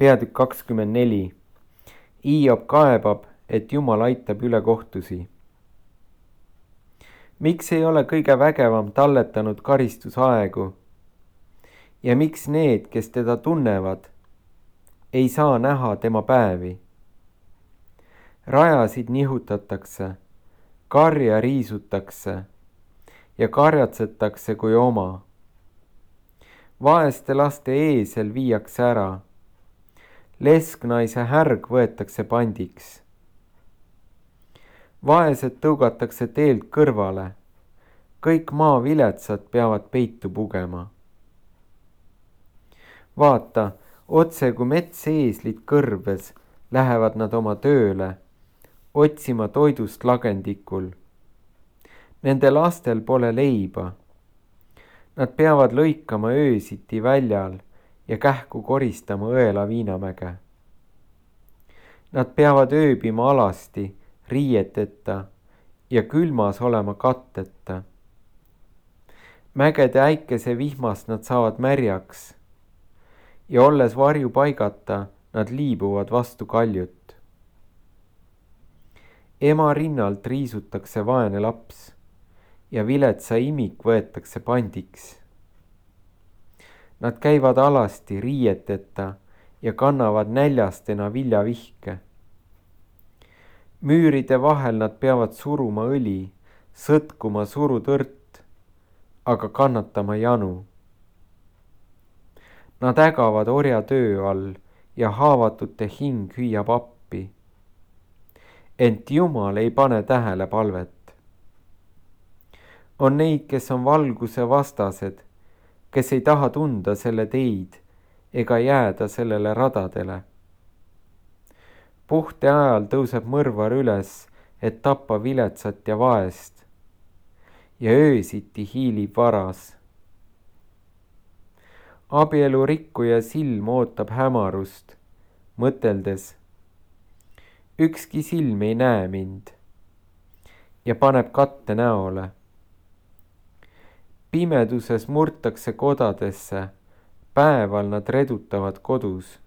Peatükk 24. Hiob kaebab, et Jumal aitab üle kohtusi. Miks ei ole kõige vägevam talletanud karistusaegu? Ja miks need, kes teda tunnevad, ei saa näha tema päevi? Rajasid nihutatakse, karja riisutakse ja karjatsetakse kui oma. Vaeste laste eesel viiakse ära. Lesknaise härg võetakse pandiks. Vaesed tõugatakse teelt kõrvale. Kõik maaviletsad peavad peitu pugema. Vaata, otse kui metseeslid kõrves, lähevad nad oma tööle, otsima toidust lagendikul. Nende lastel pole leiba. Nad peavad lõikama öösiti väljal ja kähku koristama õela Viinamäge. Nad peavad ööbima alasti, riieteta ja külmas olema katteta. Mägede äikese vihmast nad saavad märjaks ja olles varjupaigata, nad liibuvad vastu kaljut. Ema rinnalt riisutakse vaene laps ja viletsa imik võetakse pandiks. Nad käivad alasti riieteta ja kannavad näljastena viljavihke. Müüride vahel nad peavad suruma õli, sõtkuma surutõrt, aga kannatama janu. Nad ägavad orjatöö all ja haavatute hing hüüab appi. Ent Jumal ei pane tähele palvet. On neid, kes on valguse vastased, kes ei taha tunda selle teid ega jääda sellele radadele. Puhte ajal tõuseb mõrvar üles, et tappa viletsat ja vaest ja öösiti hiilib varas. Abielu rikkuja silm ootab hämarust, mõteldes, ükski silm ei näe mind ja paneb katte näole. Pimeduses murtakse kodadesse, päeval nad redutavad kodus.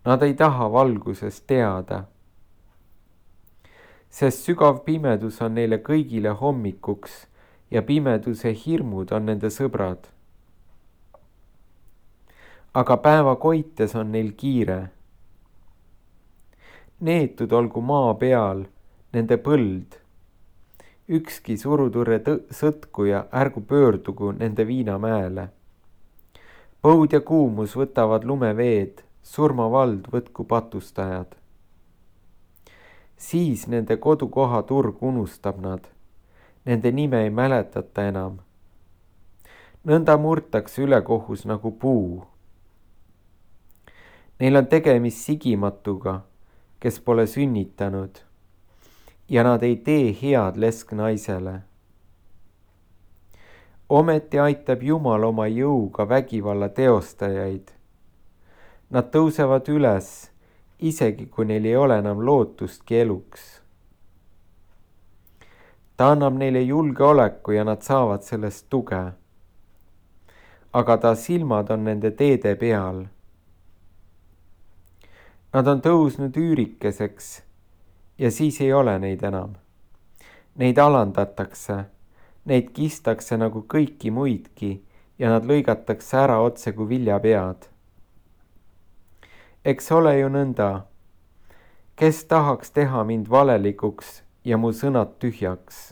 Nad ei taha valgusest teada, sest sügav pimedus on neile kõigile hommikuks ja pimeduse hirmud on nende sõbrad. Aga päeva koites on neil kiire. Neetud olgu maa peal nende põld. Ükski suruturre sõtkuja ärgu pöördugu nende Viinamäele. Põud ja kuumus võtavad lumeveed, surmavald võtku patustajad. Siis nende kodukoha turg unustab nad, nende nime ei mäletata enam. Nõnda murtakse ülekohus nagu puu. Neil on tegemist sigimatuga, kes pole sünnitanud. Ja nad ei tee head lesknaisele. Ometi aitab Jumal oma jõuga vägivalla teostajaid. Nad tõusevad üles, isegi kui neil ei ole enam lootustki eluks. Ta annab neile julgeoleku ja nad saavad sellest tuge. Aga ta silmad on nende teede peal. Nad on tõusnud üürikeseks ja siis ei ole neid enam. Neid alandatakse, neid kistakse nagu kõiki muidki ja nad lõigatakse ära otse kui viljapead. Eks ole ju nõnda, kes tahaks teha mind valelikuks ja mu sõnad tühjaks.